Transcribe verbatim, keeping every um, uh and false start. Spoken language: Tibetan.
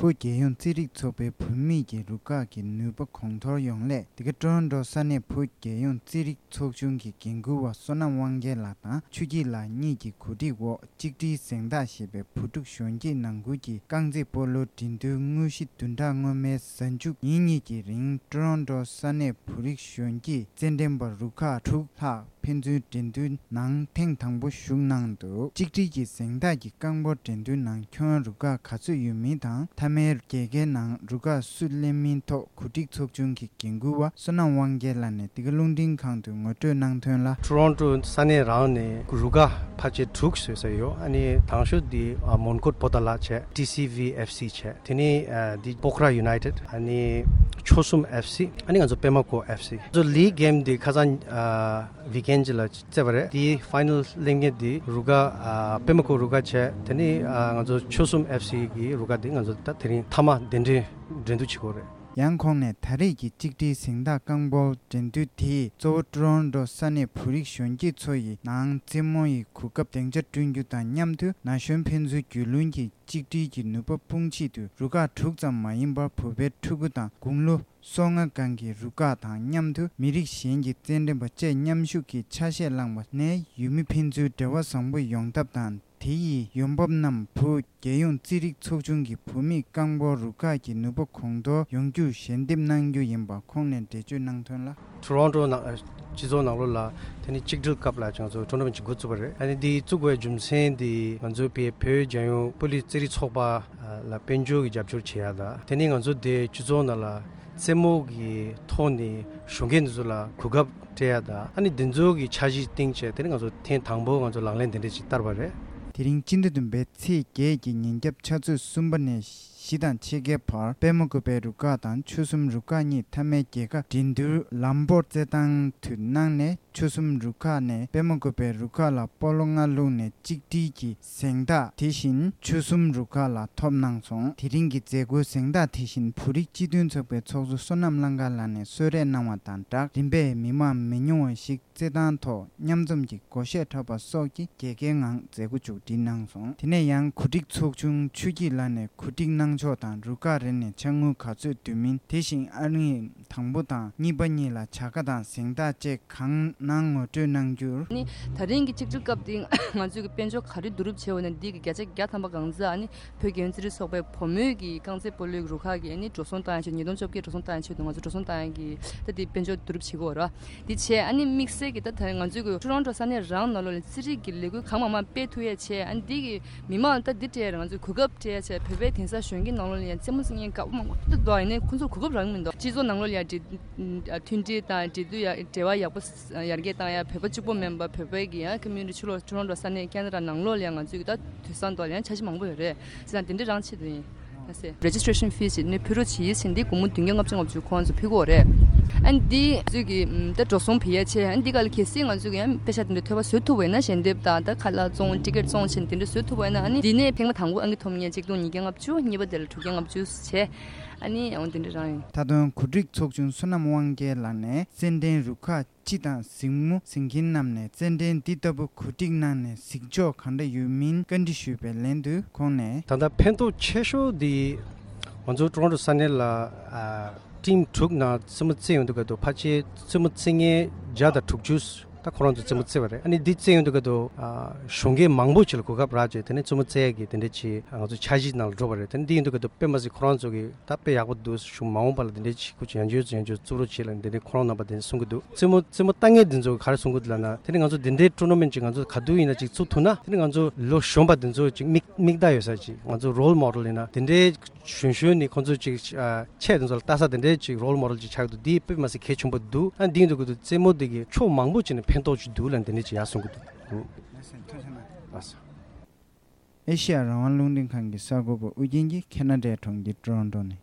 བོད་རྒྱལ་ཡོངས་རྩེད་རིགས་ཚོགས་པའི་བུད་མེད་ཀྱི་རུ་ཁག་གི་ནུས་པ་གོང་མཐོར་ཡོང་སླད། འདི་ག་ཊོ་རོན་ཊོ་ས་གནས་བོད་རྒྱལ་ཡོངས་རྩེད་རིགས་ཚོགས་ཆུང་གི་འགན་འཁུར་བ་བསོད་ནམས་དབང་རྒྱལ་ལགས་དང་ཆོས་སྐྱིད་ལགས་གཉིས་ཀྱི་གོ་སྒྲིག་འོག་གཅིག་སྒྲིལ་གཟེངས་རྟགས་ཞེས་པའི་བུ་ཕྲུག་གཞོན་སྐྱེས་ནང་ཁུལ་གྱི་རྐང་རྩེད་སྤོ་ལོའི་འགྲན་བསྡུར་དངོས་གཞི་བདུན་ཕྲག་སྔོན་མའི་གཟའ་མཇུག་ཉིན་གཉིས་ཀྱི་རིང་ཊོ་རོན་ཊོ་ས་གནས་བོད་རིགས་གཞོན་སྐྱེས་རྩེད་འགྲན་པ་རུ་ཁག་དྲུག་ལྷག་ཕན་ཚུན་འགྲན་བསྡུར་ནང་ཐེངས་དང་པོ་ཞུགས་གནང་འདུག་གཅིག་སྒྲིལ་གྱི་གཟེངས་རྟགས་ཀྱི་རྐང་སྤོལ་འགྲན་བསྡུར་ནང་ཁྱོན་རུ་ཁག་ག་ཚོད་ཡོད་མིན་དང་། མཐའ་མའི་རྒྱལ་ཁའི་ནང་རུ་ཁག་སུ་ལེན་མིན་ཐོག་གོ་སྒྲིག་ཚོགས་ཆུང་གི་འགན་འཁུར་བ་བསོད་ནམས་དབང་རྒྱལ་ལགས་ནས་འདི་ག་རླུང་འཕྲིན་ཁང་དུ་ངོ་སྤྲོད་གནང་དོན་ལ། ཊོ་རོན་ཊོ་ས་གནས་རང་ནས་རུ་ཁག་ཕལ་ཆེར་དྲུག་བཟོས་ས་ཡོད། ཨ་ནི་དང་ཤོས་འདི་ཨ་མོན་གྷོ་པོ་ཏཱ་ལ་བྱས། ཊི་སི་ཝི་ཨེཕ་སི་བྱས། དེ་ནས་ཨ་འདི་སྤོག་ར་ཡུ་ནའི་ཊེཌ། ཨ་ནི་ཆོལ་གསུམ་ཨེཕ་སི། ཨ་ནི་ང་ཚོ་པད་མ་བཀོད་ཨེཕ་སི། ང་ཚོ་ལིག་གེམ་འདི་ཁ་སང་ཨ་ཝིག་ཨེན་ཅིག་ལ་རྩེ་བ་རེད། དེའི་ཕའི་ནལ་གླེང་མཁན་དེ་རུ་ཁག་ཨ་པད་མ་བཀོད་རུ་ཁག་བྱས། དེ་ནས་ཨ་ང་ཚོ་ཆོལ་གསུམ་ཨེཕ་སི་གི་རུ་ཁག་དེ་ང་ཚོ་ད་དེ་རིང་མཐའ་མ་གདན་འདྲེན་འགྲན་བསྡུར་བྱེད་དགོས་རེད། ཡང་ཁོང་ནས་ད་རེས་ཀྱི་གཅིག་སྒྲིལ་གཟེངས་རྟགས་རྐང་སྤོལ་འགྲན་བསྡུར་དེས་གཙོ་བོ་ཊོ་རོན་ཊོ་ས་གནས་བོད་རིགས་གཞོན་སྐྱེས་ཚོ་ཡི་ནང་རྩེད་མོ་ཡི་གོ་སྐབས་སྡིངས་ཆ་བསྐྲུན་རྒྱུ་དང་མཉམ་དུ་ན་གཞོན་ཕན་ཚུན་རྒྱུས་ལོན་གྱི་གཅིག་སྒྲིལ་གྱི་ནུས་པ་སྤུངས་ཆེད་དུ་རུ་ཁག་དྲུག་ཙམ་མ་ཡིན་པར་བོད་པའི་ཕྲུ་གུ་དང་དགུང་ལོ་སོ་ལྔ་སྒང་གི་རུ་ཁག་དང་མཉམ་དུ་མི་རིགས་གཞན་གྱི་རྩེད་འགྲན་པ་བཅས་མཉམ་ཞུགས་ཀྱིས་ཆ་ཤས་བླངས་པ་ནས་ཡུལ་མི་ཕན་ཚུན་འབྲེལ་བ་བཟང་པོ་ཡོང་ཐབས་དང་། དེ་ཡི་ཡོང་འབབ་རྣམས་བོད་རྒྱལ་ཡོངས་རྩེད་རིགས་ཚོགས་ཆུང་གི་བུད་མེད་རྐང་སྤོལ་རུ་ཁག་གི་ནུས་པ་གོང་མཐོར་ཡོང་རྒྱུར་ཞལ་འདེབས་གནང་རྒྱུ་ཡིན་པ་ཁོང་ནས་འགྲེལ་བརྗོད་གནང་དོན་ལ། ཊོ་རོན་ཊོ་ནང་སྤྱི་ཚོགས་ནང་ལོགས་ལ་དེ་ནི་གཅིག་སྒྲིལ་སྐབས་ལ་ང་ཚོ་ཊོར་ན་མེན་ཊི་ཅིག་འགོ་བཙུགས་པ་རེད། ཨ་ནི་འདི་བཙུགས་པའི་རྒྱུ་མཚན་འདི་ང་ཚོའི་བོད་རྒྱལ་ཡོངས་སྤོ་ལོ་རྩེད་རིགས་ཚོགས་པ་ལ་དཔལ་འབྱོར་གྱི་རྒྱབ་སྐྱོར་བྱེད་ཡ་དང་། དེ་ནི་ང་ཚོ་དེ་སྤྱི་ཚོགས་ནང་ལ་རྩེད་མོ་གི་ཐོག་ནས་གཞོན་སྐྱེས་འདི་ཚོ་ལ་གོ་སྐབས་སྤྲད་ཡ་དང་། ཨ་ནི་འདི་ཚོ་གི་འཆར་གཞི་བཏིང་བྱས་དེ་ནི་ང་ཚོ་ཐེངས་དང་པོ་ང་ཚོ་ལག་ལེན་དེ་འདྲས་ཅིག་བསྟར་བ་རེད། དེ་རིང་སྤྱི་ཟླ་བདུན་པའི་ཚེས་བརྒྱད་ཀྱི་ཉིན་རྒྱབ་ཆུ་ཚོད་གསུམ་པ་ནས་བཞི་དང་ཕྱེད་ཀའི་བར་པད་མ་བཀོད་པའི་རུ་ཁག་དང་ཆོལ་གསུམ་རུ་ཁག་གཉིས་མཐའ་མའི་རྒྱལ་ཁ་འགྲན་བསྡུར་ལམ་སྤོར་རྩེད་ཐང་དུ་གནང་ནས། ཆོལ་གསུམ་རུ་ཁག་ནས་པད་མ་བཀོད་པའི་རུ་ཁག་ལ་སྤོ་ལོ་ལྔ་བླུགས་ནས་གཅིག་སྒྲིལ་གྱི་གཟེངས་རྟགས་དེ་བཞིན་ཆོལ་གསུམ་རུ་ཁག་ལ་ཐོབ་གནང་སོང་། དེ་རིང་གི་མཛད་སྒོའི་གཟེངས་རྟགས་དེ་བཞིན་བོད་རིགས་སྤྱི་མཐུན་ཚོགས་པའི་ཚོགས་གཙོ་བསོད་ནམས་གླང་དཀར་ལགས་ནས་གསོལ་རས་གནང་བ་དང་སྦྲགས། རིམ་པས་མི་མང་མི་ཉུང་བ་ཞིག་རྩེད་ཐང་ཐོག་མཉམ་འཛོམས་ཀྱི་སྒོ་གཞས་འཁྲབ་པ་སོགས་ཀྱི་རྒྱལ་ཁའི་ངང་མཛད་སྒོ་མཇུག་སྒྲིལ་གནང་སོང་། དེ་ནས་ཡང་གོ་སྒྲིག་ཚོགས་ཆུང་ཆོས་སྐྱིད་ལགས་ནས་གོ་སྒྲིག་གནང་ཕྱོགས་དང་རུ་ཁག་རེ་ནས་ཕྱག་དངུལ་ག་ཚོད་བསྡུ་མིན། དེ་བཞིན་ཨ་རིའི་དང་པོ་དང་གཉིས་པ་གཉིས་ལ་བྱ་དགའ་དང་གཟེངས་རྟགས་བཅས་གང་གནང་ངོ་སྤྲོད་གནང་རྒྱུར། ནི་ད་རིང་གི་གཅིག་སྒྲིལ་སྐབས་འདི་ང་ཚོས་ཀྱི་དཔལ་འབྱོར་ག་རེ་བསྡུ་རུབ་བྱས་ཡོད་ན། འདི་གི་བརྒྱ་ཆ་བརྒྱ་ཐམ་པ་གང་ཟག་ཨ་ནི་བོད་རྒྱལ་ཡོངས་རྩེད་རིགས་ཚོགས་པའི་བུ་མོའི་གི་རྐང་རྩེད་སྤོ་ལོའི་རུ་ཁག་གི་ཨ་ནི་འགྲོ་སོང་བཏང་ཡ་ཆེད། ཉིས་སྟོང་བཅོ་བརྒྱད་འགྲོ་སོང་བཏང་ཡ་ཆེད་དུ་ང་ཚོ་འགྲོ་སོང་བཏང་ཡ་གི་ད་འདི་དཔལ་འབྱོར་བསྡུ་རུབ་བྱེད་དགོས་ར། འདི་བྱས་ཨ་ནི་དམིགས་བསལ་གྱི་ད་ད་ང་ཚོའི་གི་ཊོ་རོན་ཊོ་ས་གནས་རང་ནང་ལོགས་ལ་རྩེད་རིགས་ཀྱི་ལས་འགུལ་གང་མང་མང་སྤེལ་ཐུབ་ཡ་བྱས། ཨ་ནི་འདི་གི་མི་མང་ལ་ད་འདི་སྤྲད་ཡ་རེད། ང་ཚོས་གོ་སྐབས་སྤྲད་ཡ་བྱས། བོད་པའི་དེང་སང་གཞོན་སྐྱེས་ནང་ལོགས་ལ་ཡང་རྩེད་མོ་རྩེ་མཁན་དཀའ་མོ་མང་པོ་འདུག་ཡིན་ནའི་ཁོང་ཚོར་གོ་སྐབས་རག་གི་མི་འདུག་སྤྱི་ཚོགས་ནང་ལོགས་ལ་ཡང་འབྲེལ་མཐུན་སྒྲིལ་དང་འབྲེལ་མཐུད་ཡ་འབྲེལ་བ་ཡག་པོ་ཡར་རྒྱས་བཏང་ཡ། བོད་པ་གཅིག་པོ་མིན་པ་བོད་པའི་གི་ཡང་ཀོ་མིའུ་ནི་ཊི་ཕྱི་ལོགས་ཊོ་རོན་ཊོ་ས་གནས་ཁེ་ན་ཌ་ནང་ལོགས་ལ་ཡང་ང་ཚོས་གི་ད་དུས་སང་ཐོག་ལ་ཡང་འཆར་གཞི་མང་པོ་ཡོད་རེད། བྱས་ཙང་དེ་འདྲ་རང་ཆེད་དུ་ཡིན། ཨ་སེ། Registration fees ཞིག་ནི་ཕུལ་རོགས་བྱེད་ཡིན་ཟེར། འདི་སྒོར་མོ་བདུན་བརྒྱ་ལྔ་བཅུ་ང་བཅུ་ཁོང་ཚོ་ཕུལ་གྱི་ཡོད་རེད། ཨ་ནི་འདི་ཚོས་ཀྱི་ཨམ་ད་འགྲོ་སོང་བེད་ཡ་ཆེ། ཨ་ནི་འདི་ག་ལ་གལ་སྲིད་ང་ཚོས་ཀྱི་ཡང་པེ་ཤ་དེ་འདྲ་ཐོལ་པ་བཟོ་ཐུབ་པ་ཡིན་ན། ཞལ་འདེབས་དང་ད་ཁ་ལག་བཙོང་ཊི་ཀེ་ཊི་བཙོང་བྱས་ནས་དེ་འདྲ་བཟོ་ཐུབ་པ་ཡིན་ན། ཨ་ནི་འདི་ནས་ཐེངས་མ་དང་པོ་ཨང་ཀི་ཐོབ་མཁན་ཆིག་སྟོང་ཉིས་བརྒྱ་ལྔ་བཅུ། གཉིས་པ་དེ་ལ་དྲུག་བརྒྱ་ལྔ་བཅུ་བྱས། ཨ་ནི་འོ་དེ་འདྲ་རང་ཡིན། མཐའ་དོན་གོ་སྒྲིག་ཚོགས་ཆུང་བསོད་ནམས་དབང་རྒྱལ་ལགས་ནས་རྩེད་འགྲན་རུ་ཁག་སྤྱི་དང་གཟིགས་མོ་གཟིགས་མཁན་རྣམས་ནས་རྩེད་འགྲན་འདི་ལྟ་བུ་གོ་སྒྲིག་གནང་ནས་གཟིགས་ཕྱོགས་གང་འདྲ་ཡོད་མིན་བཀའ་འདྲི་ཞུས་པའི་ལན་དུ་ཁོང་ནས། ད་ལྟ་ཕན་ཐོགས་ཆེ་ཤོས་འདི་ང་ཚོ་ཊོ་རོན་ཊོ་ས་གནས་ལ་ཨ་ཊིམ་དྲུག་ནང་རྩེད་མོ་རྩེ་ཡོང་དུས་སྐབས་དུ་ཕལ་ཆེར་རྩེད་མོ་རྩེ་མཁན་བརྒྱ་དང་དྲུག་ཅུ་ད་ཁོ་རང་ཚོ་རྩེད་མོ་རྩེ་བ་རེད། ཨ་ནི་འདི་རྩེ་ཡོང་དུས་སྐབས་དུ་ཨ་གཞོན་སྐྱེས་མང་པོ་ཅིག་ལ་གོ་སྐབས་རག་བྱས། དེ་ནས་རྩེད་མོ་རྩེ་ཡག་གི་དེ་འདྲ་ཅིག་ང་ཚོ་འཆར་གཞི་ནང་ལ་འགྲོ་བ་རེད། དེ་ནས་འདི་ཡོང་དུས་སྐབས་དུ་དཔེ་མ་སྲིད་ཁོ་རང་ཚོ་གི་ད་དཔེ་ཡག་པོ་འདུག་གཞུང་མ་འོངས་པ་ལ་དེ་འདྲའི་ཅིག་ཁུ་ཅིག་ཡང་བསྐྱར་ཡང་བསྐྱར་བཙུགས་རོགས་བྱེད་ལ་དེ་འདྲའི་ཁོ་རང་རྣམ་པ་དེ་འདྲ་གསུང་གི་འདུག་རྩེད་མོ་རྩེད་མོ་ལྟ་མཁན་དེ་ཚོ་ག་རེ་གསུང་གི་འདུག་ལབ་ན། དེ་ནས་ང་ཚོ་དེ་འདྲའི་ཊོར་ན་མེན་ཊི་ཅིག་ང་ཚོ་ག་དུས་ཡིན་ན་ཅིག་བཙུགས་ཐུབ་ན། དེ་ནས་ང་ཚོ་ལོ་གཞོན་པ་དེ་ཚོ་ཅིག་མིག་མིག་ལྟ་ཡོད་ས་ཅིག་ང་ཚོ་རོལ་མོ་ཌེལ་ཡིན་ན་དེ་འདྲའི་གཞོན་གཞོན་ནས་ཁོང་ཚོ་ཅིག་ཨ་ཆས་དེ་ཚོ་ལ་ལྟ་ས་དེ་འདྲའི་ཅིག་རོལ་མོ་ཌེལ་ཅིག་ཆགས་འདུག་འདི་དཔེ་མ་སྲིད་གལ་ཆེན་པོ་འདུག་ཨ་འདི་ཡིན་དུས་ཀྱི་དུ་རྩེད་མོ་འདི་གི་ཕྱོགས་མང་པོ་ཅིག་ནས་ཕན་ཐོགས་ཅིག་འདུག་ལབ་འདི་འདྲ་ཅིག་ཡར་གསུང་གི་འདུག་ཨ་ས། ཨེ་ཤེ་ཡ་རང་དབང་རླུང་འཕྲིན་ཁང་གི་གསར་འགོད་པ་ཨུ་རྒྱན་གྱིས་ཁེ་ན་ཌའི་གྲོང་ཁྱེར་ཊོ་རོན་ཊོ་ནས།